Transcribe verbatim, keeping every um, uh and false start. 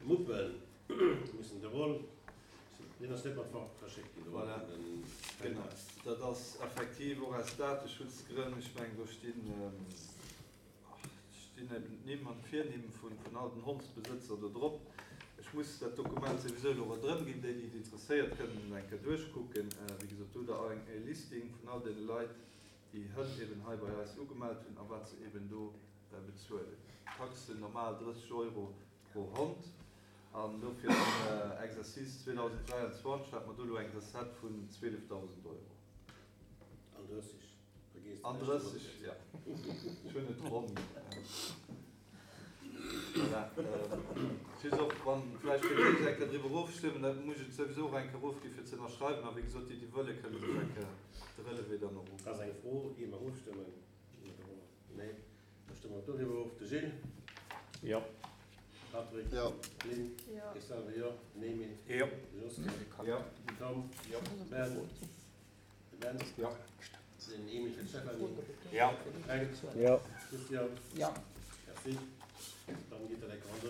Muppen müssen de Roll, deen ass net mat verschéckt ginn. Voilà. Genau. Dat ass effektiv och aus Dateschutzgrënn. Ech mengen, do stinn, stinn eben d'Nimm an d'Virnimm vun, vun all den Hondsbesëtzer do drop. Ech muss dat Dokument souwisou elo erëm ginn. Déi, déi et interesséiert, kënnen et eng Kéier duerchkucken. Wéi gesot, do hutt Der eng e Listing vun all deene Leit, déi Hënn eben hei bei eis ugemellt hunn a wat se eben do bezuelen. Taxe normal drësseg Euro pro Hond. An elo fir den Exercice zweedausenddräianzwanzeg hate mer do elo eng Recette vun zwielefdausend Euro. An drësseg, vergeess An drësseg, jo. Ech hunn et ronn. Voilà. Just och, wann vläicht fir d'éischt eng Kéier driwwer ofstëmmen, da muss ech et souwisou och eng Kéier ofgi fir ze ënnerschreiwen. A wéi gesot, déi, déi wëllen, kënne sech eng Kéier de Relevé dann och Ass ukucken. Eng Fro, ier mer ofstëmmen? Nee. Da stëmme mer doriwwer of. De Gilles? Jo. Patrick? Jo. Lynn? Jo. Ech selwer jo. Nemy? Jo. De Josquin? Jo. Den Tom? Jo. Ben? De Ben? Jo. Den Emil fir d'Stéphanie? Jo. De Fränk? Jo. Christian? Jo. Merci. Dann geet dat eng Kéier an.